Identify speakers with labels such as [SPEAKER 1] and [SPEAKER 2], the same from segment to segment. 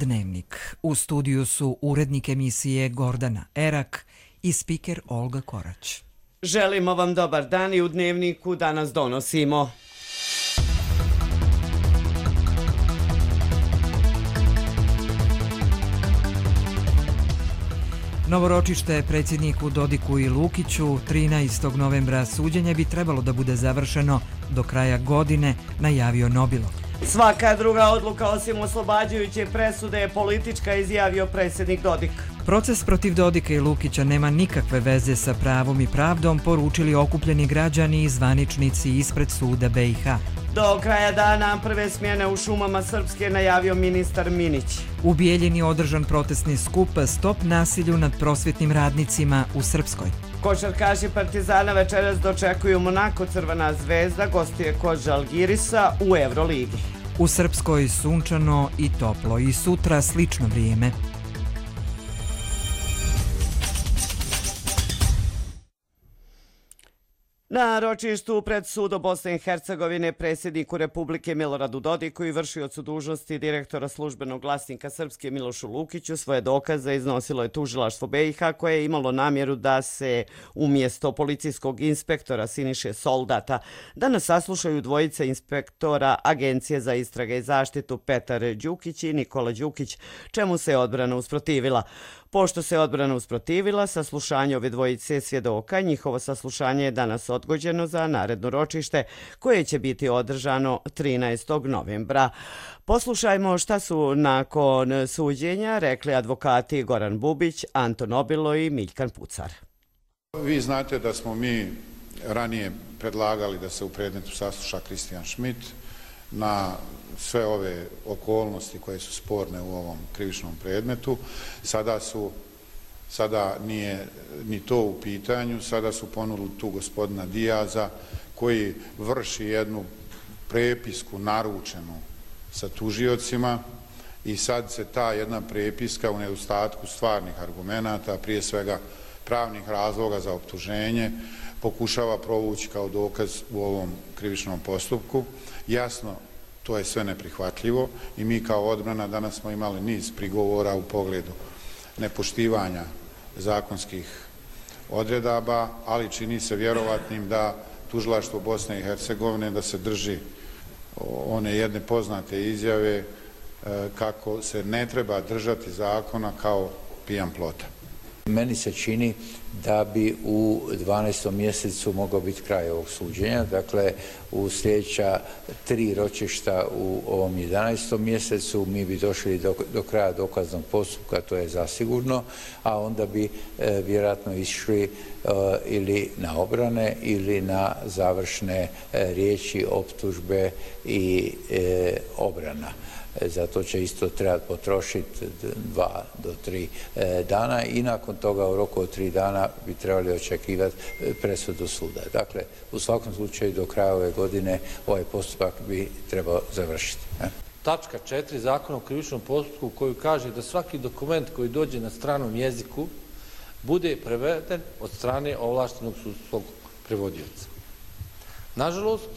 [SPEAKER 1] Dnevnik. U studiju su urednik emisije Gordana Erak i spiker Olga Korać.
[SPEAKER 2] Želimo vam dobar dan i u Dnevniku danas donosimo.
[SPEAKER 1] Novoročište predsjedniku Dodiku i Lukiću 13. novembra suđenje bi trebalo da bude završeno do kraja godine, najavio Nobilov.
[SPEAKER 2] Svaka druga odluka osim oslobađajuće presude je politička, izjavio predsjednik Dodik.
[SPEAKER 1] Proces protiv Dodika i Lukića nema nikakve veze sa pravom i pravdom, poručili okupljeni građani i zvaničnici ispred suda BiH.
[SPEAKER 2] Do kraja dana prve smjene u šumama Srpske, najavio ministar Minić.
[SPEAKER 1] U Bijeljini održan protestni skup Stop nasilju nad prosvjetnim radnicima u Srpskoj.
[SPEAKER 2] Košarkaši Partizana večeras dočekuju Monako. Crvena zvezda gostuje kod Žalgirisa u Euroligi.
[SPEAKER 1] U Srpskoj sunčano i toplo i sutra slično vrijeme.
[SPEAKER 2] Na ročištu pred sudom Bosne i Hercegovine predsjedniku Republike Miloradu Dodiku i vršiocu dužnosti direktora službenog glasnika Srpske Milošu Lukiću svoje dokaze iznosilo je tužilaštvo BiH koje je imalo namjeru da se umjesto policijskog inspektora Siniše Soldata danas saslušaju dvojice inspektora Agencije za istrage i zaštitu Petar Đukić i Nikola Đukić, čemu se odbrana usprotivila. Pošto se odbrana usprotivila, saslušanje ove dvojice svjedoka, njihovo saslušanje je danas odgođeno za naredno ročište koje će biti održano 13. novembra. Poslušajmo šta su nakon suđenja rekli advokati Goran Bubić, Anton Obilo i Miljkan Pucar.
[SPEAKER 3] Vi znate da smo mi ranije predlagali da se u predmetu sasluša Kristijan Schmidt na sve ove okolnosti koje su sporne u ovom krivičnom predmetu. Sada nije ni to u pitanju, sada su ponudili tu gospodina Dijaza koji vrši jednu prepisku naručenu sa tužiocima i sad se ta jedna prepiska u nedostatku stvarnih argumenata, prije svega pravnih razloga za optuženje, pokušava provući kao dokaz u ovom krivičnom postupku. Jasno, to je sve neprihvatljivo i mi kao odbrana danas smo imali niz prigovora u pogledu nepoštivanja zakonskih odredaba, ali čini se vjerovatnim da tužilaštvo Bosne i Hercegovine da se drži one jedne poznate izjave kako se ne treba držati zakona kao pijan plota.
[SPEAKER 4] Meni se čini da bi u 12. mjesecu mogao biti kraj ovog suđenja, dakle u sljedeća 3 ročišta u ovom 11. mjesecu mi bi došli do kraja dokaznog postupka, to je zasigurno, a onda bi vjerojatno išli ili na obrane ili na završne riječi, optužbe i obrana. Zato će isto trebati potrošiti 2 do 3 dana i nakon toga u roku od 3 dana bi trebali očekivati presudu suda. Dakle, u svakom slučaju do kraja ove godine ovaj postupak bi trebao završiti.
[SPEAKER 5] Tačka 4 Zakona o krivičnom postupku koju kaže da svaki dokument koji dođe na stranom jeziku bude preveden od strane ovlaštenog sudskog prevodioca. Nažalost,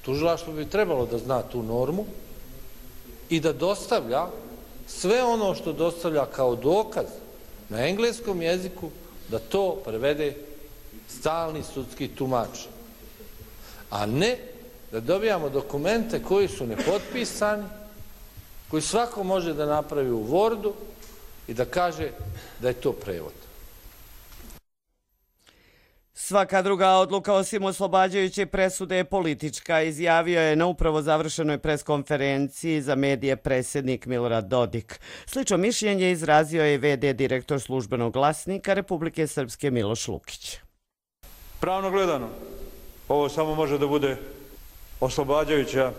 [SPEAKER 5] tužilaštvo bi trebalo da zna tu normu i da dostavlja sve ono što dostavlja kao dokaz na engleskom jeziku, da to prevede stalni sudski tumač. A ne da dobijamo dokumente koji su nepotpisani, koji svako može da napravi u Wordu i da kaže da je to prevod.
[SPEAKER 2] Svaka druga odluka osim oslobađajuće presude je politička, izjavio je na upravo završenoj preskonferenciji za medije predsjednik Milorad Dodik. Slično mišljenje izrazio je VD direktor službenog glasnika Republike Srpske Miloš Lukić.
[SPEAKER 6] Pravno gledano, ovo samo može da bude oslobađajuća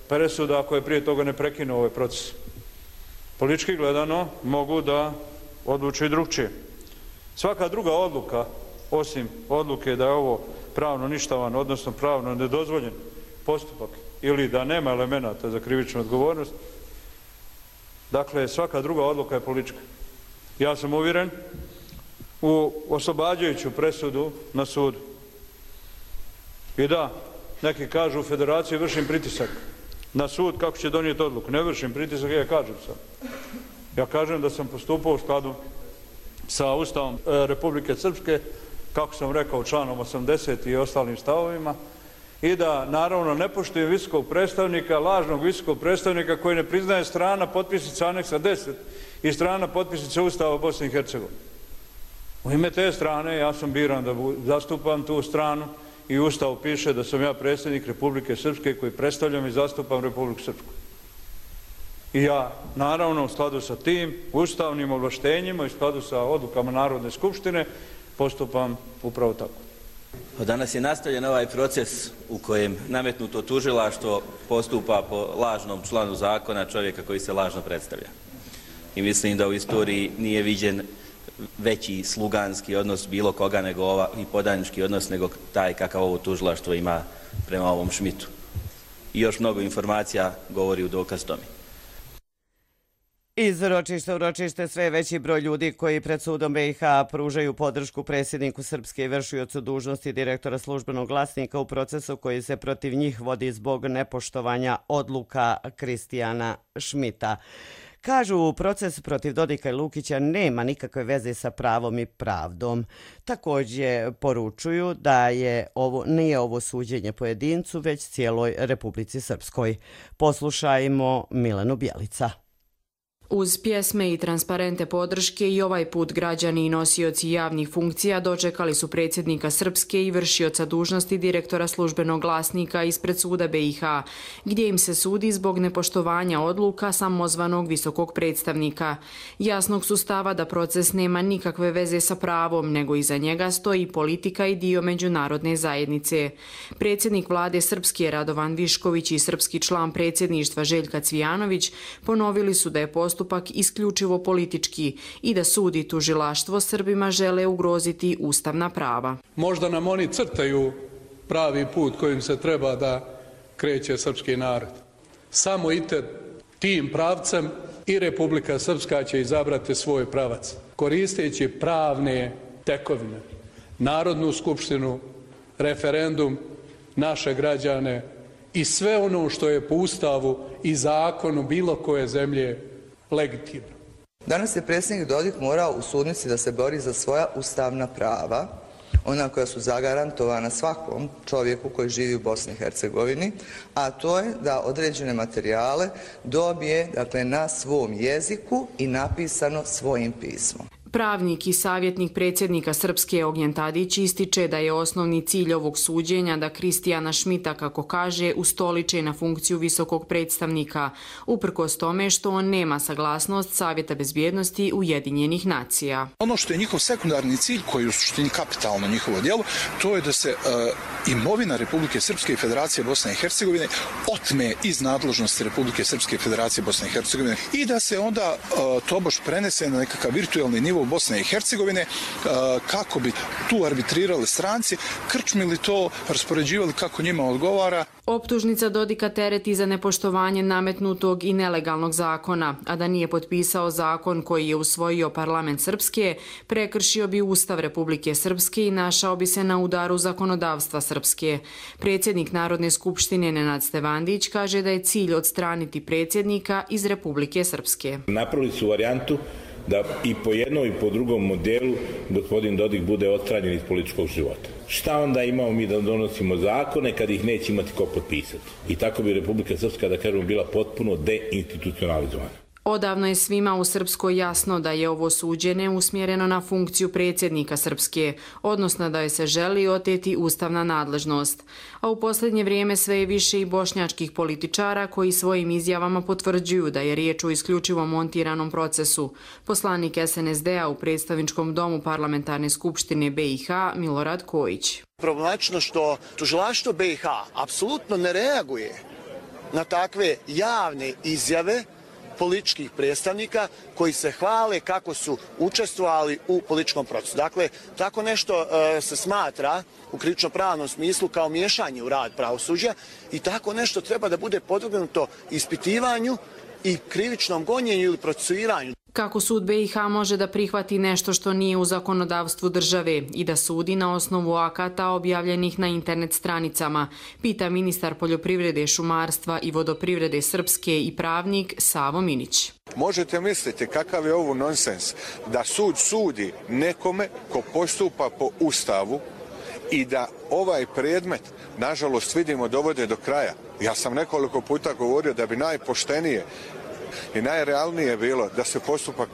[SPEAKER 6] presuda ako je prije toga ne prekinuo ovaj proces. Politički gledano mogu da odluče i drugčije. Svaka druga odluka osim odluke da je ovo pravno ništavan, odnosno pravno nedozvoljen postupak ili da nema elemenata za krivičnu odgovornost, dakle svaka druga odluka je politička. Ja sam uvjeren u oslobađajuću presudu na sudu. I da, neki kažu u federaciji vršim pritisak na sud kako će donijeti odluku. Ne vršim pritisak, ja kažem sam. Ja kažem da sam postupao u skladu sa Ustavom Republike Srpske, kako sam rekao, članom 80 i ostalim stavovima, i da naravno ne poštujem visokog predstavnika, lažnog visokog predstavnika koji ne priznaje strana potpisnica aneksa 10 i strana potpisnica Ustava Bosne i Hercegovine. U ime te strane ja sam biran da zastupam tu stranu i u Ustavu piše da sam ja predsjednik Republike Srpske koji predstavljam i zastupam Republiku Srpsku. I ja, naravno, u skladu sa tim ustavnim ovlaštenjima i u skladu sa odlukama Narodne skupštine postupam upravo tako.
[SPEAKER 7] Danas je nastavljen ovaj proces u kojem nametnuto tužilaštvo postupa po lažnom članu zakona čovjeka koji se lažno predstavlja. I mislim da u istoriji nije viđen veći sluganski odnos bilo koga nego i podanički odnos nego taj kakav ovo tužilaštvo ima prema ovom Šmitu. I još mnogo informacija govori u dokaz tome.
[SPEAKER 2] Iz ročišta u ročište sve veći broj ljudi koji pred sudom BiH pružaju podršku predsjedniku Srpske i vršiocu dužnosti direktora Službenog glasnika u procesu koji se protiv njih vodi zbog nepoštovanja odluka Kristijana Šmita. Kažu, proces protiv Dodika i Lukića nema nikakve veze sa pravom i pravdom. Također poručuju da nije ovo suđenje pojedincu, već cijeloj Republici Srpskoj. Poslušajmo Milenu Bjelica.
[SPEAKER 8] Uz pjesme i transparente podrške i ovaj put građani i nosioci javnih funkcija dočekali su predsjednika Srpske i vršioca dužnosti direktora Službenog glasnika ispred suda BiH, gdje im se sudi zbog nepoštovanja odluka samozvanog visokog predstavnika. Jasnog su stava da proces nema nikakve veze sa pravom, nego iza njega stoji politika i dio međunarodne zajednice. Predsjednik vlade Srpske Radovan Višković i srpski član predsjedništva Željka Cvijanović ponovili su da je postupak isključivo politički i da sud i tužilaštvo Srbima žele ugroziti ustavna prava.
[SPEAKER 9] Možda nam oni crtaju pravi put kojim se treba da kreće srpski narod. Samo tim pravcem i Republika Srpska će izabrati svoj pravac, koristeći pravne tekovine, Narodnu skupštinu, referendum, naše građane i sve ono što je po Ustavu i zakonu bilo koje zemlje legitimno.
[SPEAKER 10] Danas je predsjednik Dodik morao u sudnici da se bori za svoja ustavna prava, ona koja su zagarantovana svakom čovjeku koji živi u Bosni i Hercegovini, a to je da određene materijale dobije na svom jeziku i napisano svojim pismom.
[SPEAKER 8] Pravnik i savjetnik predsjednika Srpske Ognjen Tadić ističe da je osnovni cilj ovog suđenja da Kristijana Šmita, kako kaže, ustoliče na funkciju visokog predstavnika, uprkos tome što on nema saglasnost Savjeta bezbjednosti Ujedinjenih nacija.
[SPEAKER 11] Ono što je njihov sekundarni cilj, koji je u suštini kapitalno njihovo djelo, to je da se imovina Republike Srpske i Federacije Bosne i Hercegovine otme iz nadležnosti Republike Srpske i Federacije Bosne i Hercegovine i da se onda tobož prenese na nekakav virtualni nivo Bosne i Hercegovine kako bi tu arbitrirali stranci, krčmili to, raspoređivali kako njima odgovara.
[SPEAKER 8] Optužnica Dodika tereti za nepoštovanje nametnutog i nelegalnog zakona, a da nije potpisao zakon koji je usvojio parlament Srpske, prekršio bi Ustav Republike Srpske i našao bi se na udaru zakonodavstva Srpske. Predsjednik Narodne skupštine Nenad Stevandić kaže da je cilj odstraniti predsjednika iz Republike Srpske.
[SPEAKER 12] Napravili su varijantu da i po jednom i po drugom modelu gospodin Dodik bude odstranjen iz političkog života. Šta onda imamo mi da donosimo zakone kad ih neće imati ko potpisati? I tako bi Republika Srpska, da kažemo, bila potpuno deinstitucionalizovana.
[SPEAKER 8] Odavno je svima u Srpskoj jasno da je ovo suđenje usmjereno na funkciju predsjednika Srpske, odnosno da joj se želi oteti ustavna nadležnost. A u posljednje vrijeme sve je više i bošnjačkih političara koji svojim izjavama potvrđuju da je riječ o isključivo montiranom procesu. Poslanik SNSD-a u predstavničkom domu Parlamentarne skupštine BiH Milorad Kojić.
[SPEAKER 13] Problematično što tužilaštvo BiH apsolutno ne reaguje na takve javne izjave političkih predstavnika koji se hvale kako su učestvovali u političkom procesu. Dakle, tako nešto se smatra u krivično-pravnom smislu kao miješanje u rad pravosuđa i tako nešto treba da bude podvrgnuto ispitivanju i krivičnom gonjenju ili procesuiranju.
[SPEAKER 8] Kako sud BiH može da prihvati nešto što nije u zakonodavstvu države i da sudi na osnovu akata objavljenih na internet stranicama, pita ministar poljoprivrede, šumarstva i vodoprivrede Srpske i pravnik Savo Minić.
[SPEAKER 14] Možete misliti kakav je ovo nonsens da sud sudi nekome ko postupa po Ustavu i da ovaj predmet, nažalost, vidimo dovode do kraja. Ja sam nekoliko puta govorio da bi najpoštenije i najrealnije bilo da se postupak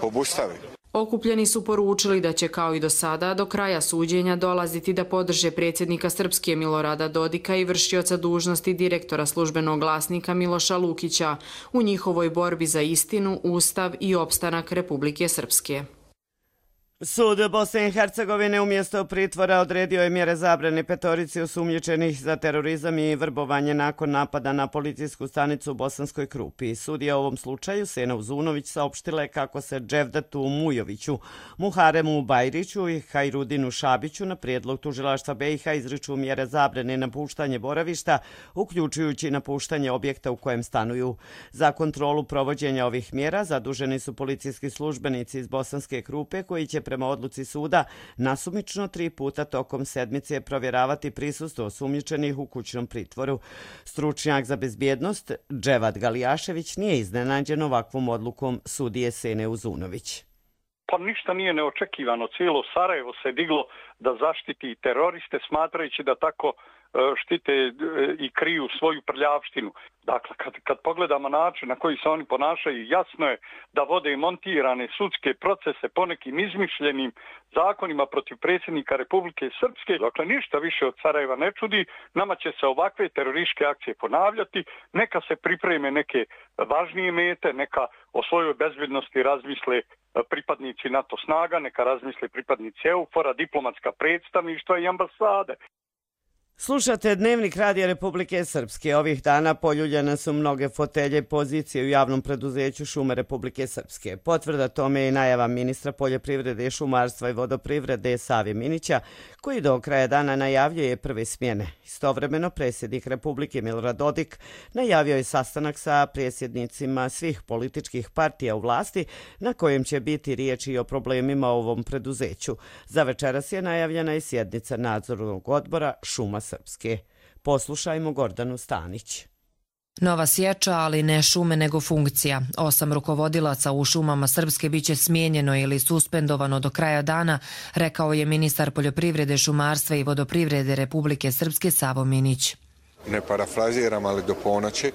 [SPEAKER 14] obustavi.
[SPEAKER 8] Okupljeni su poručili da će kao i do sada do kraja suđenja dolaziti da podrže predsjednika Srpske Milorada Dodika i vršioca dužnosti direktora službenog glasnika Miloša Lukića u njihovoj borbi za istinu, ustav i opstanak Republike Srpske.
[SPEAKER 2] Sud Bosne i Hercegovine umjesto pritvora odredio je mjere zabrane petorici osumnjičenih za terorizam i vrbovanje nakon napada na policijsku stanicu u Bosanskoj Krupi. Sudija u ovom slučaju, Sena Uzunović, saopštila je kako se Dževdatu Mujoviću, Muharemu Bajriću i Hajrudinu Šabiću na prijedlog tužilaštva BiH izriču mjere zabrane napuštanje boravišta, uključujući napuštanje objekta u kojem stanuju. Za kontrolu provođenja ovih mjera zaduženi su policijski službenici iz Bosanske Krupe koji će prema odluci suda nasumično 3 puta tokom sedmice provjeravati prisustvo osumnjičenih u kućnom pritvoru. Stručnjak za bezbjednost Dževad Galijašević nije iznenađen ovakvom odlukom sudije Sene Uzunović.
[SPEAKER 15] Pa ništa nije neočekivano. Cijelo Sarajevo se diglo da zaštiti teroriste smatrajući da tako štite i kriju svoju prljavštinu. Dakle, kad pogledamo način na koji se oni ponašaju, jasno je da vode montirane sudske procese po nekim izmišljenim zakonima protiv predsjednika Republike Srpske. Dakle, ništa više od Sarajeva ne čudi. Nama će se ovakve terorističke akcije ponavljati. Neka se pripreme neke važnije mete, neka o svojoj bezbjednosti razmisle pripadnici NATO snaga, neka razmisle pripadnici EUFOR-a, diplomatska predstavništva i ambasade.
[SPEAKER 2] Slušate Dnevnik Radija Republike Srpske. Ovih dana poljuljene su mnoge fotelje pozicije u javnom preduzeću Šume Republike Srpske. Potvrda tome je i najava ministra poljoprivrede, šumarstva i vodoprivrede Save Minića, koji do kraja dana najavljuje prve smjene. Istovremeno, predsjednik Republike Milorad Dodik najavio je sastanak sa predsjednicima svih političkih partija u vlasti, na kojem će biti riječi i o problemima u ovom preduzeću. Za večeras je najavljena i sjednica nadzornog odbora Šuma Srpske. Poslušajmo Gordanu Stanić.
[SPEAKER 16] Nova sječa, ali ne šume nego funkcija. 8 rukovodilaca u šumama Srpske biće smijenjeno ili suspendovano do kraja dana, rekao je ministar poljoprivrede, šumarstva i vodoprivrede Republike Srpske Savo Minić.
[SPEAKER 14] Ne parafraziram, ali do ponoći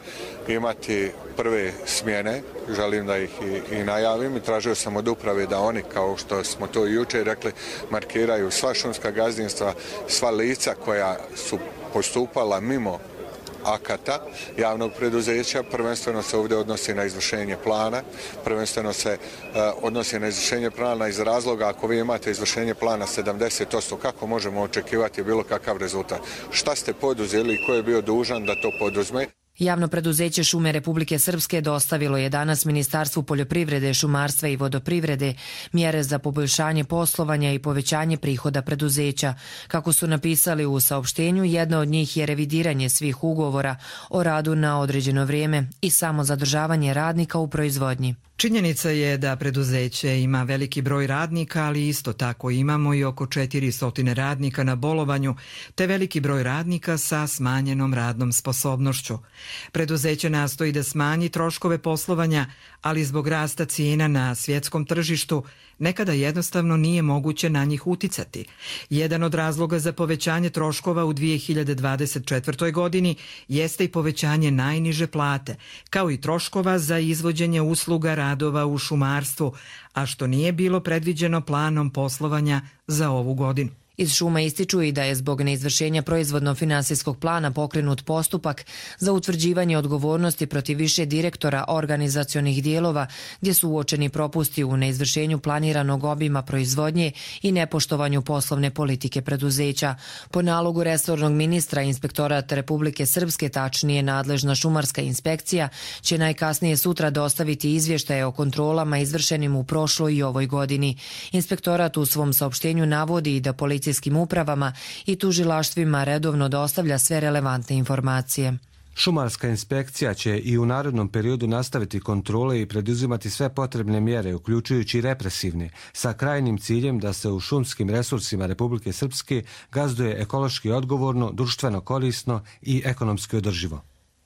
[SPEAKER 14] imati prve smjene, želim da ih i najavim i tražio sam od uprave da oni, kao što smo to jučer rekli, markiraju sva šumska gazdinstva, sva lica koja su postupala mimo akata javnog preduzeća, prvenstveno se ovdje odnosi na izvršenje plana, prvenstveno se odnosi na izvršenje plana iz razloga ako vi imate izvršenje plana 70%, kako možemo očekivati bilo kakav rezultat? Šta ste poduzeli i ko je bio dužan da to poduzme?
[SPEAKER 16] Javno preduzeće Šume Republike Srpske dostavilo je danas Ministarstvu poljoprivrede, šumarstva i vodoprivrede mjere za poboljšanje poslovanja i povećanje prihoda preduzeća. Kako su napisali u saopštenju, jedna od njih je revidiranje svih ugovora o radu na određeno vrijeme i samo zadržavanje radnika u proizvodnji.
[SPEAKER 1] Činjenica je da preduzeće ima veliki broj radnika, ali isto tako imamo i oko 400 radnika na bolovanju, te veliki broj radnika sa smanjenom radnom sposobnošću. Preduzeće nastoji da smanji troškove poslovanja, ali zbog rasta cijena na svjetskom tržištu nekada jednostavno nije moguće na njih uticati. Jedan od razloga za povećanje troškova u 2024. godini jeste i povećanje najniže plate, kao i troškova za izvođenje usluga radova u šumarstvu, a što nije bilo predviđeno planom poslovanja za ovu godinu.
[SPEAKER 16] Iz šuma ističu i da je zbog neizvršenja proizvodno-finansijskog plana pokrenut postupak za utvrđivanje odgovornosti protiv više direktora organizacionih dijelova gdje su uočeni propusti u neizvršenju planiranog obima proizvodnje i nepoštovanju poslovne politike preduzeća. Po nalogu resornog ministra, Inspektorat Republike Srpske, tačnije nadležna šumarska inspekcija, će najkasnije sutra dostaviti izvještaje o kontrolama izvršenim u prošloj i ovoj godini. Inspektorat u svom saopštenju navodi da policijskim upravama i tužilaštvima redovno dostavlja sve relevantne informacije.
[SPEAKER 17] Šumarska inspekcija će i u narednom periodu nastaviti kontrole i preduzimati sve potrebne mjere, uključujući represivne, sa krajnjim ciljem da se u šumskim resursima Republike Srpske gazduje ekološki odgovorno, društveno korisno i ekonomski održivo.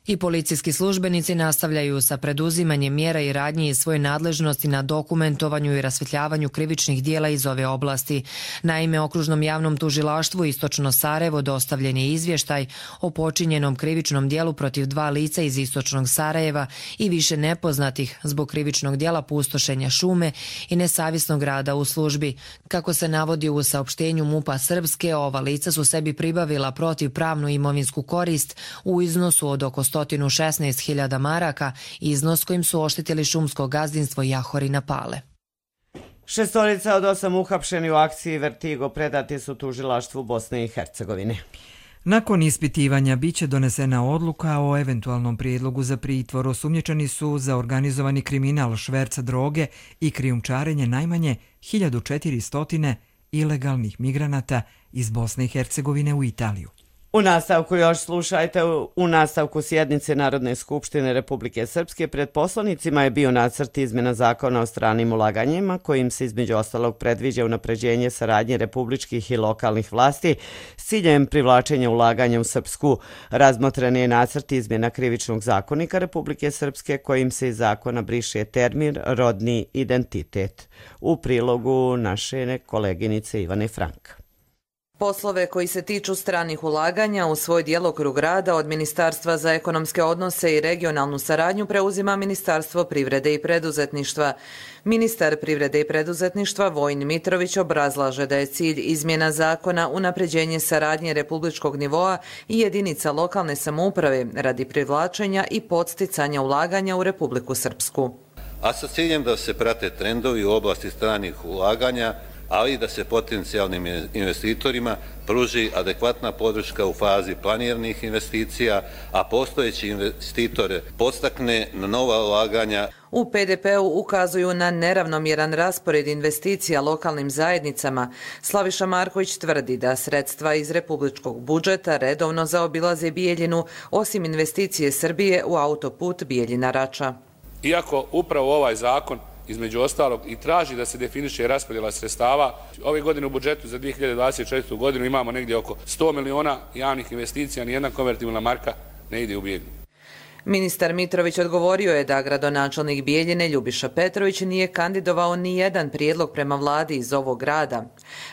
[SPEAKER 16] I policijski službenici nastavljaju sa preduzimanjem mjera i radnji iz svoje nadležnosti na dokumentovanju i rasvetljavanju krivičnih dijela iz ove oblasti. Naime, Okružnom javnom tužilaštvu Istočno Sarajevo dostavljen je izvještaj o počinjenom krivičnom dijelu protiv 2 lica iz Istočnog Sarajeva i više nepoznatih zbog krivičnog dijela pustošenja šume i nesavjesnog rada u službi. Kako se navodi u saopštenju MUP-a Srpske, ova lica su sebi pribavila protivpravnu imovinsku korist u iznosu od oko 116.000 maraka, iznos kojim su oštetili šumsko gazdinstvo Jahorina Pale.
[SPEAKER 2] 6 od 8 uhapšeni u akciji Vertigo predati su tužilaštvu Bosne i Hercegovine.
[SPEAKER 1] Nakon ispitivanja biće donesena odluka o eventualnom prijedlogu za pritvor. Osumnjičeni su za organizovani kriminal, šverca droge i krijumčarenje najmanje 1400 ilegalnih migranata iz Bosne i Hercegovine u Italiju.
[SPEAKER 2] U nastavku još slušajte, u nastavku sjednice Narodne skupštine Republike Srpske pred poslanicima je bio nacrt izmjena zakona o stranim ulaganjima kojim se između ostalog predviđa unapređenje saradnje republičkih i lokalnih vlasti s ciljem privlačenja ulaganja u Srpsku. Razmotren je nacrt izmjena Krivičnog zakonika Republike Srpske kojim se iz zakona briše termin rodni identitet. U prilogu naše koleginice Ivane Franka.
[SPEAKER 18] Poslove koji se tiču stranih ulaganja u svoj djelokrug rada od Ministarstva za ekonomske odnose i regionalnu saradnju preuzima Ministarstvo privrede i preduzetništva. Ministar privrede i preduzetništva Vojin Mitrović obrazlaže da je cilj izmjena zakona unapređenje saradnje republičkog nivoa i jedinica lokalne samouprave radi privlačenja i podsticanja ulaganja u Republiku Srpsku.
[SPEAKER 19] A sa ciljem da se prate trendovi u oblasti stranih ulaganja, ali i da se potencijalnim investitorima pruži adekvatna podrška u fazi planiranih investicija, a postojeći investitore podstakne na nova ulaganja.
[SPEAKER 18] U PDP-u ukazuju na neravnomjeran raspored investicija lokalnim zajednicama. Slaviša Marković tvrdi da sredstva iz republičkog budžeta redovno zaobilaze Bijeljinu, osim investicije Srbije u autoput Bijeljina-Rača.
[SPEAKER 20] Iako upravo ovaj zakon između ostalog i traži da se definiše raspodjela sredstava, ove godine u budžetu za 2024. godinu imamo negdje oko 100 miliona javnih investicija, nijedna konvertibilna marka ne ide u Bijeljinu.
[SPEAKER 18] Ministar Mitrović odgovorio je da gradonačelnik Bijeljine Ljubiša Petrović nije kandidovao ni jedan prijedlog prema vladi iz ovog grada.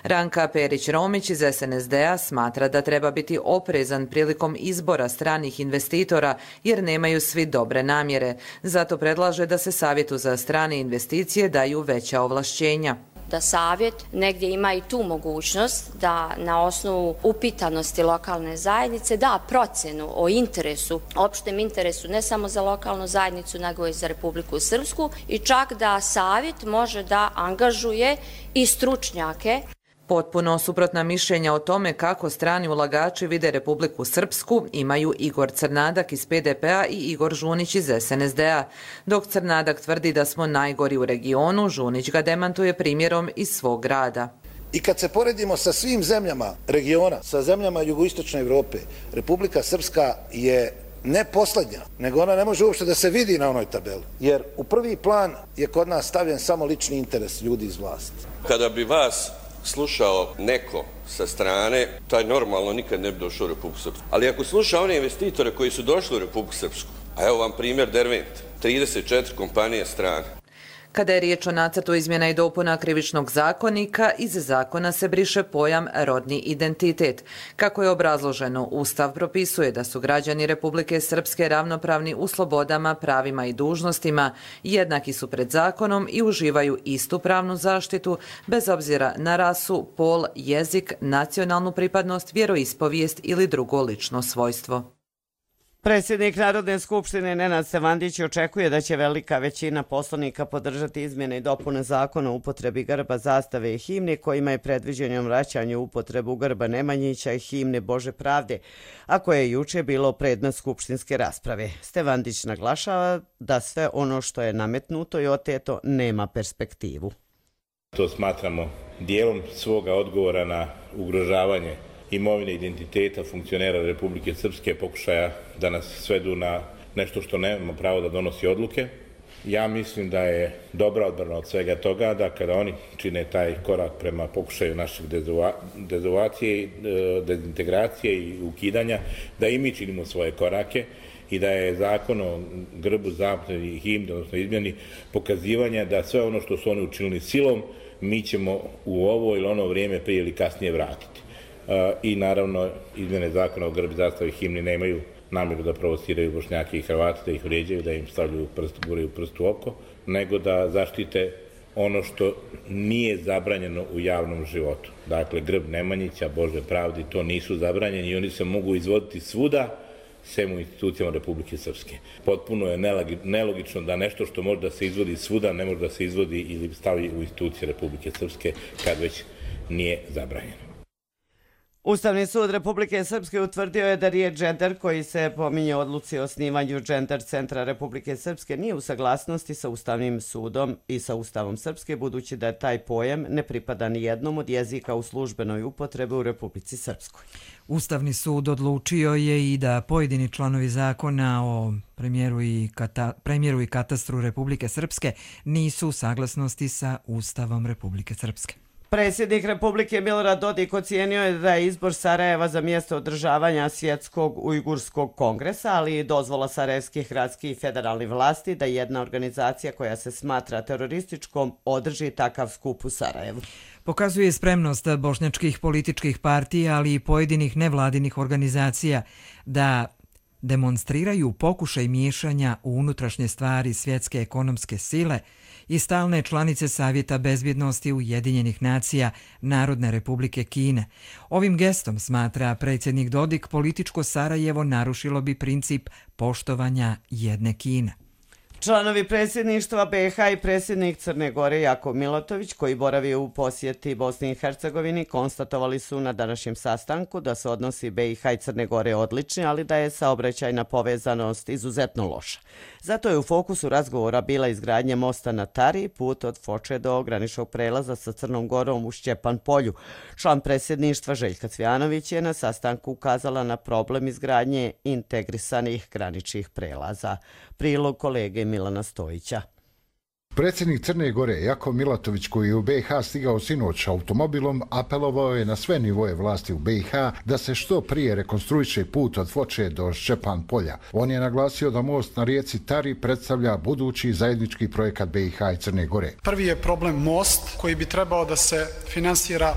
[SPEAKER 18] Ranka Perić-Romić iz SNSD-a smatra da treba biti oprezan prilikom izbora stranih investitora jer nemaju svi dobre namjere. Zato predlaže da se Savjetu za strane investicije daju veća ovlašćenja.
[SPEAKER 21] Da savjet negdje ima i tu mogućnost da na osnovu upitanosti lokalne zajednice da procjenu o interesu, opštem interesu ne samo za lokalnu zajednicu nego i za Republiku Srpsku i čak da savjet može da angažuje i stručnjake.
[SPEAKER 18] Potpuno suprotna mišljenja o tome kako strani ulagači vide Republiku Srpsku imaju Igor Crnadak iz PDP-a i Igor Žunić iz SNSD-a. Dok Crnadak tvrdi da smo najgori u regionu, Žunić ga demantuje primjerom iz svog grada.
[SPEAKER 22] I kad se poredimo sa svim zemljama regiona, sa zemljama jugoistočne Evrope, Republika Srpska je ne posljednja, nego ona ne može uopšte da se vidi na onoj tabeli. Jer u prvi plan je kod nas stavljen samo lični interes ljudi iz vlasti.
[SPEAKER 23] Kada bi vas slušao neko sa strane, taj normalno nikad ne bi došao u Republiku Srpsku. Ali ako sluša one investitore koji su došli u Republiku Srpsku, a evo vam primjer Dervent, 34 kompanije strane.
[SPEAKER 18] Kada je riječ o nacrtu izmjena i dopuna Krivičnog zakonika, iz zakona se briše pojam rodni identitet. Kako je obrazloženo, Ustav propisuje da su građani Republike Srpske ravnopravni u slobodama, pravima i dužnostima, jednaki su pred zakonom i uživaju istu pravnu zaštitu, bez obzira na rasu, pol, jezik, nacionalnu pripadnost, vjeroispovijest ili drugo lično svojstvo.
[SPEAKER 2] Predsjednik Narodne skupštine Nenad Stevandić očekuje da će velika većina poslanika podržati izmjene i dopune zakona o upotrebi grba, zastave i himne kojima je predviđeno vraćanje u upotrebu grba Nemanjića i himne Bože pravde, a koje je juče bilo predmet skupštinske rasprave. Stevandić naglašava da sve ono što je nametnuto i oteto nema perspektivu.
[SPEAKER 12] To smatramo dijelom svoga odgovora na ugrožavanje imovine, identiteta funkcionera Republike Srpske, pokušaja da nas svedu na nešto što nema pravo da donosi odluke. Ja mislim da je dobra odbrana od svega toga da kada oni čine taj korak prema pokušaju našeg dezovacije, dezintegracije i ukidanja, da i mi činimo svoje korake i da je zakon o grbu, zastavi i himni, odnosno izmjeni, pokazivanja da sve ono što su oni učinili silom, mi ćemo u ovo ili ono vrijeme prije ili kasnije vratiti. I naravno, izmjene zakona o grbu, zastavi i himni nemaju namjeru da provociraju Bošnjake i Hrvate, da ih vrijeđaju, da im stavljaju guraju prst u oko, nego da zaštite ono što nije zabranjeno u javnom životu. Dakle, grb Nemanjića, Bože pravdi, to nisu zabranjeni i oni se mogu izvoditi svuda, sem u institucijama Republike Srpske. Potpuno je nelogično da nešto što može da se izvodi svuda ne može da se izvodi ili stavi u institucije Republike Srpske kad već nije zabranjeno.
[SPEAKER 2] Ustavni sud Republike Srpske utvrdio je da riječ džender koji se pominje u odluci o osnivanju Džender centra Republike Srpske nije u saglasnosti sa Ustavnim sudom i sa Ustavom Srpske, budući da je taj pojam ne pripada ni jednom od jezika u službenoj upotrebi u Republici Srpskoj.
[SPEAKER 1] Ustavni sud odlučio je i da pojedini članovi zakona o premijeru i katastru Republike Srpske nisu u saglasnosti sa Ustavom Republike Srpske.
[SPEAKER 2] Predsjednik Republike Milorad Dodik ocijenio je da je izbor Sarajeva za mjesto održavanja Svjetskog ujgurskog kongresa, ali i dozvola sarajevskih gradskih i federalnih vlasti da jedna organizacija koja se smatra terorističkom održi takav skup u Sarajevu.
[SPEAKER 1] Pokazuje spremnost bošnjačkih političkih partija, ali i pojedinih nevladinih organizacija da demonstriraju pokušaj miješanja u unutrašnje stvari svjetske ekonomske sile i stalne članice Savjeta bezbjednosti Ujedinjenih nacija Narodne republike Kine. Ovim gestom, smatra predsjednik Dodik, političko Sarajevo narušilo bi princip poštovanja jedne Kine.
[SPEAKER 2] Članovi predsjedništva BiH i predsjednik Crne Gore Jakov Milatović, koji boravi u posjeti Bosni i Hercegovini, konstatovali su na današnjem sastanku da su odnosi BiH i Crne Gore odlični, ali da je saobraćajna povezanost izuzetno loša. Zato je u fokusu razgovora bila izgradnja mosta na Tari, put od Foče do graničnog prelaza sa Crnom Gorom u Šćepan polju. Član predsjedništva Željka Cvjanović je na sastanku ukazala na problem izgradnje integrisanih graničnih prelaza. Prilog kolege Milana Stojića.
[SPEAKER 3] Predsjednik Crne Gore Jakov Milatović, koji je u BiH stigao sinoć automobilom, apelovao je na sve nivoje vlasti u BiH da se što prije rekonstruiše put od Foče do Šćepan polja. On je naglasio da most na rijeci Tari predstavlja budući zajednički projekat BiH i Crne Gore.
[SPEAKER 4] Prvi je problem most koji bi trebao da se finansira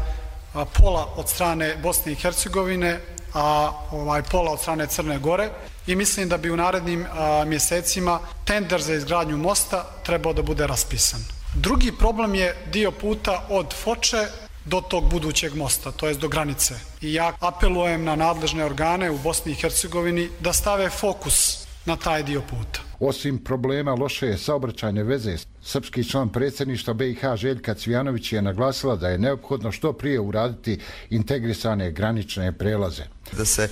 [SPEAKER 4] pola od strane Bosne i Hercegovine, a pola od strane Crne Gore. I mislim da bi u narednim mjesecima tender za izgradnju mosta trebao da bude raspisan. Drugi problem je dio puta od Foče do tog budućeg mosta, to jest do granice. I ja apelujem na nadležne organe u Bosni i Hercegovini da stave fokus na taj dio puta.
[SPEAKER 3] Osim problema loše saobraćajne veze, srpski član predsjedništva BiH Željka Cvjanović je naglasila da je neophodno što prije uraditi integrisane granične prelaze.
[SPEAKER 10] Da se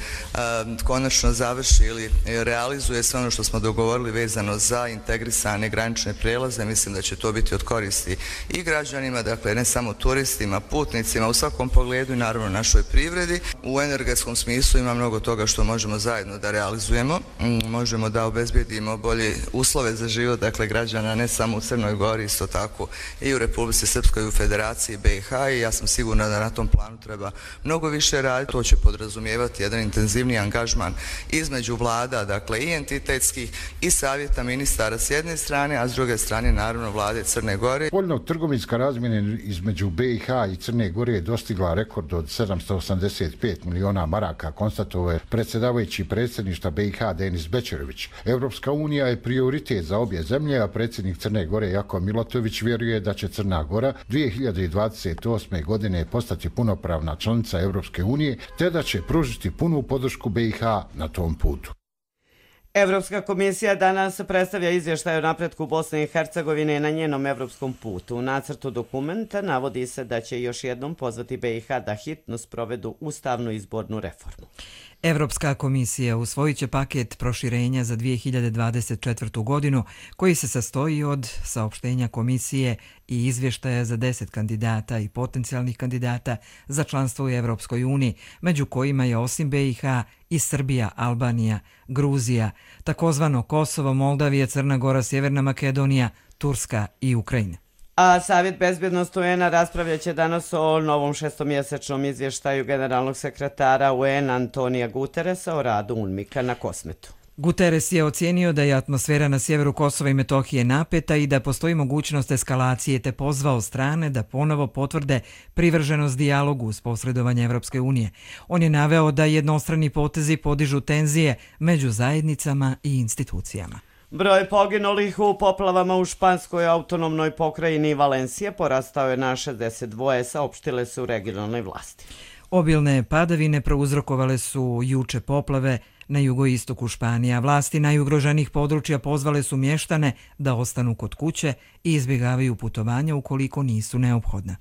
[SPEAKER 10] konačno završi ili realizuje sve ono što smo dogovorili vezano za integrisane granične prelaze. Mislim da će to biti od koristi i građanima, dakle ne samo turistima, putnicima, u svakom pogledu i naravno našoj privredi. U energetskom smislu ima mnogo toga što možemo zajedno da realizujemo. Možemo da obezbijedimo bolje uslove za život, dakle građana ne samo u Crnoj Gori, isto tako i u Republici Srpskoj i u Federaciji BiH, i ja sam sigurna da na tom planu treba mnogo više raditi. To će podrazumijevati jedan intenzivni angažman između vlada, dakle i entitetskih i savjeta ministara s jedne strane, a s druge strane naravno vlade Crne Gore.
[SPEAKER 3] Spoljno-trgovinska razmjena između BiH i Crne Gore je dostigla rekord od 785 miliona maraka, konstatovao je predsjedavajući predsjedništva BiH Denis Bećerović. Evropska unija je prioritet za obje zemlje, a predsjednik Crne Gore Jakov Milatović vjeruje da će Crna Gora 2028. godine postati punopravna članica Evropske unije, te da će pružiti punu podršku BiH na tom putu.
[SPEAKER 2] Evropska komisija danas predstavlja izvještaj o napretku Bosne i Hercegovine na njenom evropskom putu. U nacrtu dokumenta navodi se da će još jednom pozvati BiH da hitno sprovedu ustavnu izbornu reformu.
[SPEAKER 1] Evropska komisija usvojit će paket proširenja za 2024. godinu koji se sastoji od saopštenja komisije i izvještaja za 10 kandidata i potencijalnih kandidata za članstvo u Evropskoj uniji, među kojima je osim BiH i Srbija, Albanija, Gruzija, takozvano Kosovo, Moldavija, Crna Gora, Sjeverna Makedonija, Turska i Ukrajina.
[SPEAKER 2] A Savjet bezbjednosti UN-a raspravljat će danas o novom šestomjesečnom izvještaju generalnog sekretara UN Antonija Guterresa o radu UNMIK-a na Kosmetu.
[SPEAKER 1] Guterres je ocijenio da je atmosfera na sjeveru Kosova i Metohije napeta i da postoji mogućnost eskalacije, te pozvao strane da ponovo potvrde privrženost dijalogu uz posredovanje Evropske unije. On je naveo da jednostrani potezi podižu tenzije među zajednicama i institucijama.
[SPEAKER 2] Broj poginulih u poplavama u španskoj autonomnoj pokrajini Valencije porastao je na 62, saopštile su regionalne vlasti.
[SPEAKER 1] Obilne padavine prouzrokovale su juče poplave na jugoistoku Španije, a vlasti najugroženijih područja pozvale su mještane da ostanu kod kuće i izbjegavaju putovanja ukoliko nisu neophodna.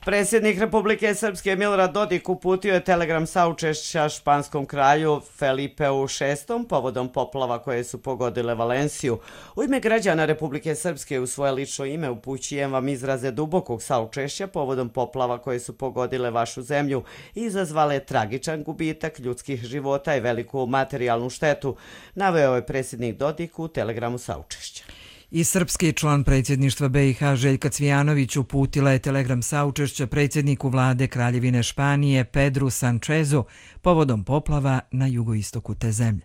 [SPEAKER 2] Predsjednik Republike Srpske Milorad Dodik uputio je telegram saučešća španskom kralju Felipeu VI povodom poplava koje su pogodile Valenciju. U ime građana Republike Srpske u svoje lično ime upućujem vam izraze dubokog saučešća povodom poplava koje su pogodile vašu zemlju i izazvale tragičan gubitak ljudskih života i veliku materijalnu štetu, naveo je predsjednik Dodik u telegramu saučešća.
[SPEAKER 1] I srpski član predsjedništva BiH Željka Cvijanović uputila je telegram saučešća predsjedniku vlade Kraljevine Španije Pedru Sanchezu povodom poplava na jugoistoku te zemlje.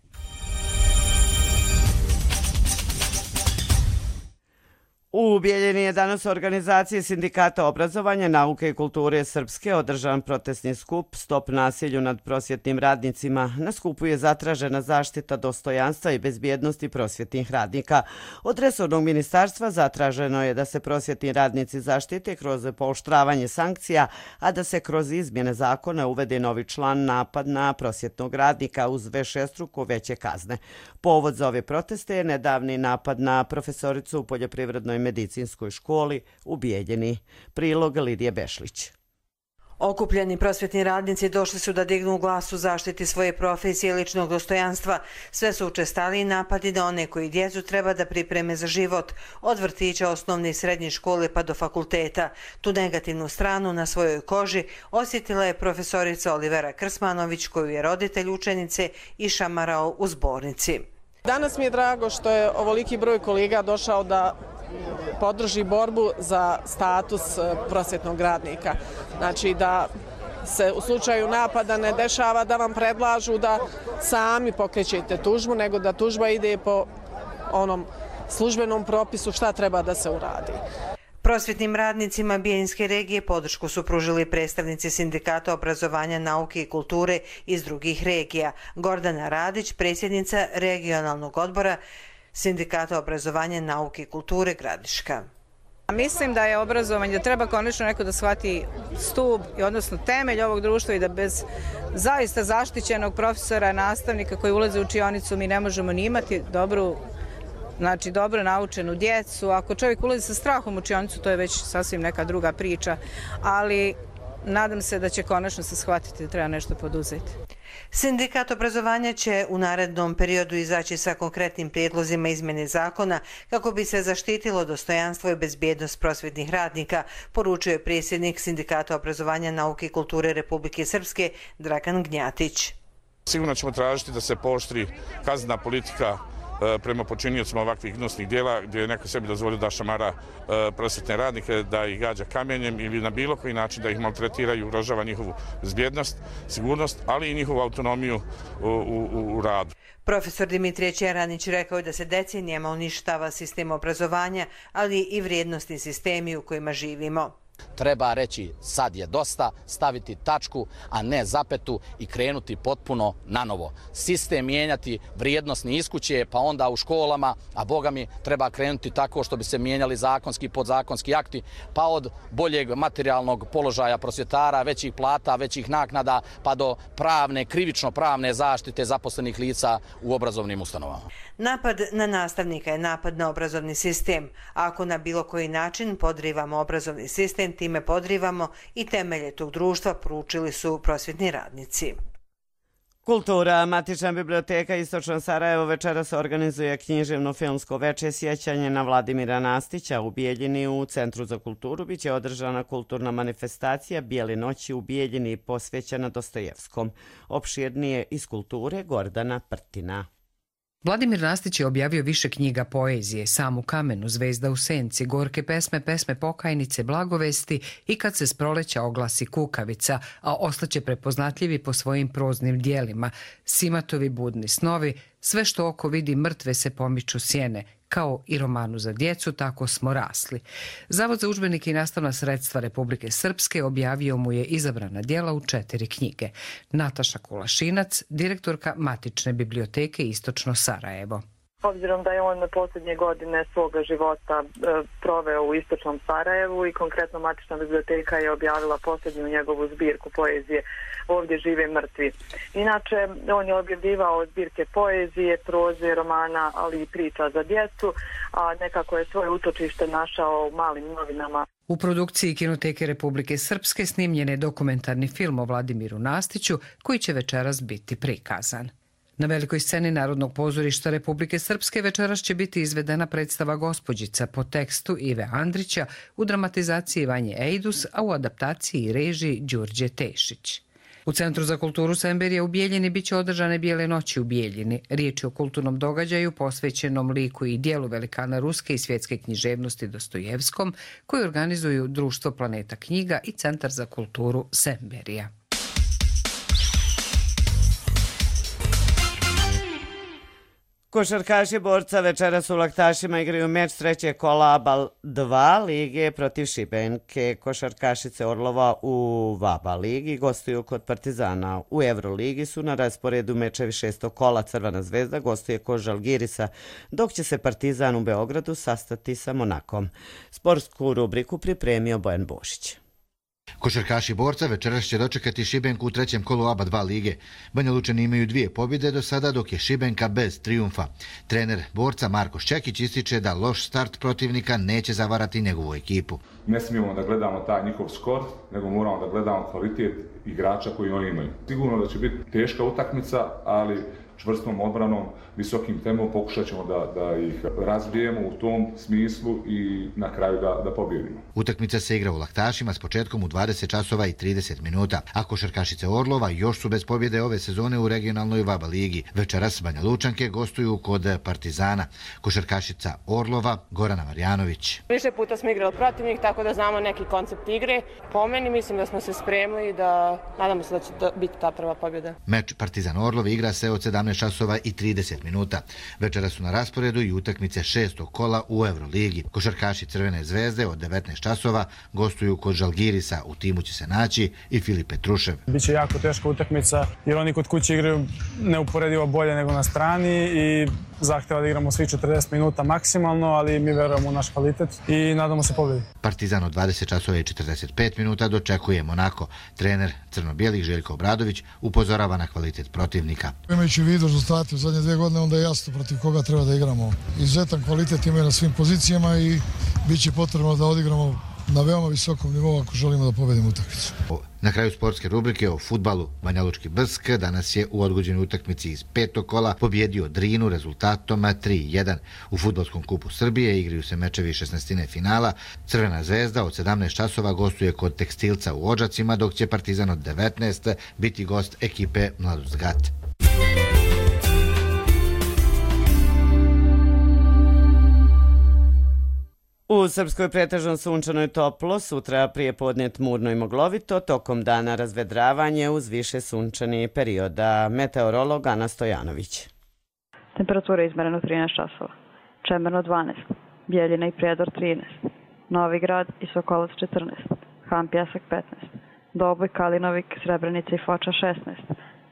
[SPEAKER 2] U Bijeljini je danas u organizaciji Sindikata obrazovanja, nauke i kulture Srpske održan protestni skup Stop nasilju nad prosvjetnim radnicima. Na skupu je zatražena zaštita dostojanstva i bezbjednosti prosvjetnih radnika. Od resornog ministarstva zatraženo je da se prosvjetni radnici zaštite kroz pooštravanje sankcija, a da se kroz izmjene zakona uvede novi član napad na prosvjetnog radnika uz višestruko veće kazne. Povod za ove proteste je nedavni napad na profesoricu u poljoprivrednoj medicinskoj školi u Bijeljini. Prilog Lidije Bešlić.
[SPEAKER 5] Okupljeni prosvjetni radnici došli su da dignu glas u zaštiti svoje profesije i ličnog dostojanstva. Sve su učestaliji napadi na one koji djecu treba da pripreme za život, od vrtića, osnovne i srednje škole pa do fakulteta. Tu negativnu stranu na svojoj koži osjetila je profesorica Olivera Krsmanović, koju je roditelj učenice išamarao u zbornici.
[SPEAKER 6] Danas mi je drago što je ovoliki broj kolega došao da podrži borbu za status prosvjetnog radnika. Znači da se u slučaju napada ne dešava da vam predlažu da sami pokrećete tužbu, nego da tužba ide po onom službenom propisu šta treba da se uradi.
[SPEAKER 5] Prosvjetnim radnicima Bijeljinske regije podršku su pružili predstavnici Sindikata obrazovanja, nauke i kulture iz drugih regija. Gordana Radić, predsjednica regionalnog odbora Sindikata obrazovanja, nauke i kulture Gradiška.
[SPEAKER 7] Mislim da je obrazovanje, da treba konačno neko da shvati stup, odnosno temelj ovog društva i da bez zaista zaštićenog profesora, nastavnika koji ulaze u učionicu mi ne možemo ni imati dobro naučenu djecu. Ako čovjek ulazi sa strahom u učionicu, to je već sasvim neka druga priča, ali nadam se da će konačno se shvatiti da treba nešto poduzeti.
[SPEAKER 5] Sindikat obrazovanja će u narednom periodu izaći sa konkretnim prijedlozima izmjene zakona kako bi se zaštitilo dostojanstvo i bezbjednost prosvjetnih radnika, poručuje predsjednik Sindikata obrazovanja, nauke i kulture Republike Srpske Dragan Gnjatić.
[SPEAKER 24] Sigurno ćemo tražiti da se pooštri kaznena politika prema počiniocima ovakvih gnusnih dijela gdje je neko sebi dozvolio da šamara prosvjetne radnike, da ih gađa kamenjem ili na bilo koji način da ih maltretira i ugrožava njihovu bezbjednost, sigurnost, ali i njihovu autonomiju u radu.
[SPEAKER 5] Profesor Dimitrije Čeranić rekao je da se decenijama uništava sistem obrazovanja, ali i vrijednosni sistemi u kojima živimo.
[SPEAKER 25] Treba reći sad je dosta, staviti tačku, a ne zapetu i krenuti potpuno na novo. Sistem mijenjati vrijednosni iz kuće, pa onda u školama, a boga mi treba krenuti tako što bi se mijenjali zakonski i podzakonski akti, pa od boljeg materijalnog položaja prosvjetara, većih plata, većih naknada, pa do pravne, krivično pravne zaštite zaposlenih lica u obrazovnim ustanovama.
[SPEAKER 5] Napad na nastavnika je napad na obrazovni sistem. Ako na bilo koji način podrivamo obrazovni sistem, time podrivamo i temelje tog društva, poručili su prosvjetni radnici.
[SPEAKER 2] Kultura. Matična biblioteka Istočno Sarajevo večeras organizuje književno-filmsko veče sjećanje na Vladimira Nastića. U Bijeljini u Centru za kulturu biće održana kulturna manifestacija Bijele noći u Bijeljini posvećena Dostojevskom. Opširnije iz kulture Gordana Prtina.
[SPEAKER 8] Vladimir Nastić je objavio više knjiga poezije, Sam u kamenu, Zvezda u senci, Gorke pesme, Pesme pokajnice, Blagovesti i Kad se s proleća oglasi kukavica, a ostaće prepoznatljivi po svojim proznim dijelima, Simatovi budni snovi, Sve što oko vidi mrtve se pomiču sjene, kao i romanu za djecu Tako smo rasli. Zavod za udžbenike i nastavna sredstva Republike Srpske objavio mu je izabrana djela u 4 knjige. Nataša Kulašinac, direktorka Matične biblioteke Istočno Sarajevo.
[SPEAKER 9] Obzirom da je on posljednje godine svoga života proveo u Istočnom Sarajevu i konkretno Matična biblioteka je objavila posljednju njegovu zbirku poezije Ovdje žive mrtvi. Inače, on je objavljivao zbirke poezije, proze, romana, ali i priča za djecu, a nekako je svoje utočište našao u Malim novinama.
[SPEAKER 8] U produkciji Kinoteke Republike Srpske snimljen je dokumentarni film o Vladimiru Nastiću koji će večeras biti prikazan. Na velikoj sceni Narodnog pozorišta Republike Srpske večeras će biti izvedena predstava Gospođica po tekstu Ive Andrića u dramatizaciji Vanje Ejdus, a u adaptaciji i režiji Đurđe Tešić. U Centru za kulturu Semberija u Bijeljini biće održane Bijele noći u Bijeljini. Riječ je o kulturnom događaju posvećenom liku i dijelu velikana ruske i svjetske književnosti Dostojevskom, koji organizuju Društvo Planeta knjiga i Centar za kulturu Semberija.
[SPEAKER 2] Košarkaši Borca večeras u Laktašima igraju meč trećeg kola ABA 2 lige protiv Šibenke. Košarkašice Orlova u VABA ligi gostuju kod Partizana. U Euroligi su na rasporedu mečevi 6. kola. Crvena zvezda gostuje kod Žalgirisa, dok će se Partizan u Beogradu sastati sa Monakom. Sportsku rubriku pripremio Bojan Bošić.
[SPEAKER 11] Košarkaši Borca večeras će dočekati Šibenku u trećem kolu ABA 2 lige. Banja Lučani imaju 2 pobjede do sada, dok je Šibenka bez trijumfa. Trener Borca Marko Šćekić ističe da loš start protivnika neće zavarati njegovu ekipu.
[SPEAKER 13] Ne smijemo da gledamo taj njihov skor, nego moramo da gledamo kvalitet igrača koji oni imaju. Sigurno da će biti teška utakmica, ali čvrstom odbranom, visokim tempom pokušat ćemo da ih razbijemo u tom smislu i na kraju da pobjedimo.
[SPEAKER 11] Utakmica se igra u Laktašima s početkom u 20 časova i 30 minuta, a košarkašice Orlova još su bez pobjede ove sezone u regionalnoj VABA ligi. Večeras Banja Lučanke gostuju kod Partizana. Košarkašica Orlova Gorana Marjanović.
[SPEAKER 15] Više puta smo igrali protiv njih, tako da znamo neki koncept igre. Po meni mislim da smo se spremili i da nadamo se da će biti ta prva pobjeda.
[SPEAKER 11] Meč Partizan Orlov igra se od 17 časova i 30 minuta. Večera su na rasporedu i utakmice 6. kola u Euroligi. Košarkaši Crvene zvezde od 19 časova gostuju kod Žalgirisa. U timu će se naći i Filip Petrušev.
[SPEAKER 26] Biće jako teška utakmica jer oni kod kuće igraju neuporedivo bolje nego na strani i zahtjeva da igramo svi 40 minuta maksimalno, ali mi verujemo u naš kvalitet i nadamo se pobjedi.
[SPEAKER 11] Partizan od 20 časova i 45 minuta dočekuje Monako. Trener crno-bijelih Željko Obradović upozorava na kvalitet protivnika.
[SPEAKER 27] Imajući u vidu rezultate u zadnje 2 godine, onda je jasno protiv koga treba da igramo. Izuzetan kvalitet imaju na svim pozicijama i bit će potrebno da odigramo na veoma visokom nivou ako želimo da pobedimo utakmicu.
[SPEAKER 11] Na kraju sportske rubrike o fudbalu Banja Lučki Brsk danas je u odgođenoj utakmici iz 5. kola pobjedio Drinu rezultatom 3-1. U fudbalskom kupu Srbije igraju se mečevi 16. finala. Crvena zvezda od 17 časova gostuje kod Tekstilca u Odžacima, dok će Partizan od 19 biti gost ekipe Mladost Gat.
[SPEAKER 2] U Srpskoj pretežno sunčano i toplo, sutra prije podne tmurno i moglovito, tokom dana razvedravanje uz više sunčanih perioda. Meteorolog Ana Stojanović.
[SPEAKER 28] Temperatura izmerena u 13 časova. Čemerno 12, Bijeljina i Prijedor 13, Novi Grad i Sokolac 14, Han Pjesak 15, Doboj, Kalinovik, Srebrenica i Foča 16,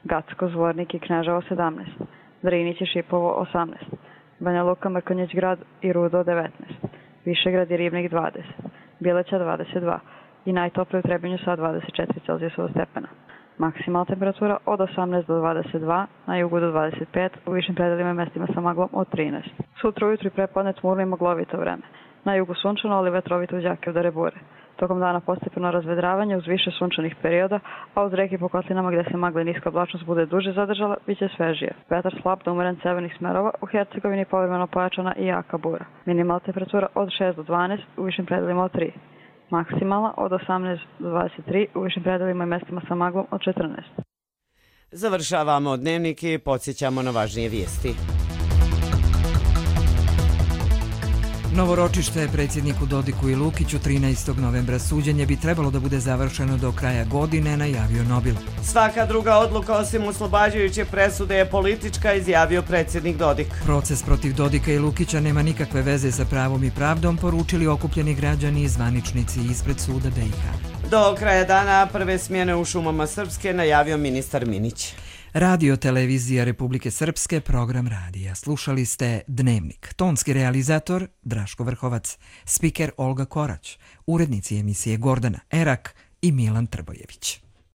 [SPEAKER 28] Gacko, Zvornik i Kneževo 17, Drinić i Šipovo 18, Banja Luka, Mrkonjić Grad i Rudo 19, Višegrad i Ribnik 20, Bileća 22 i najtoplije u Trebinju sa 24 Celzijusova stepena. Maksimalna temperatura od 18 do 22, na jugu do 25, u višim predelima i mestima sa maglom od 13. Sutra ujutru i prepodne tmurno i moglovito vreme. Na jugu sunčano, ali vetrovito uz jake udarne bure. Tokom dana postepeno razvedravanje uz više sunčanih perioda, a uz reke po kotlinama gde se magla i niska oblačnost bude duže zadržala, bit će svežije. Vetar slab do umeren severnih smerova, u Hercegovini povremeno pojačana i jaka bura. Minimalna temperatura od 6 do 12, u višim predelima od 3. Maksimalna od 18 do 23, u višim predelima i mestima sa maglom od 14.
[SPEAKER 2] Završavamo dnevnik i podsjećamo na važnije vijesti.
[SPEAKER 1] Novo ročište predsjedniku Dodiku i Lukiću 13. novembra. Suđenje bi trebalo da bude završeno do kraja godine, najavio Nobil.
[SPEAKER 2] Svaka druga odluka osim oslobađajuće presude je politička, izjavio predsjednik Dodik.
[SPEAKER 1] Proces protiv Dodika i Lukića nema nikakve veze sa pravom i pravdom, poručili okupljeni građani i zvaničnici ispred suda BiH.
[SPEAKER 2] Do kraja dana prve smjene u šumama Srpske, najavio ministar Minić.
[SPEAKER 1] Radio Televizija Republike Srpske, program radija. Slušali ste Dnevnik. Tonski realizator Draško Vrhovac, spiker Olga Korać, urednici emisije Gordana Erak i Milan Trbojević.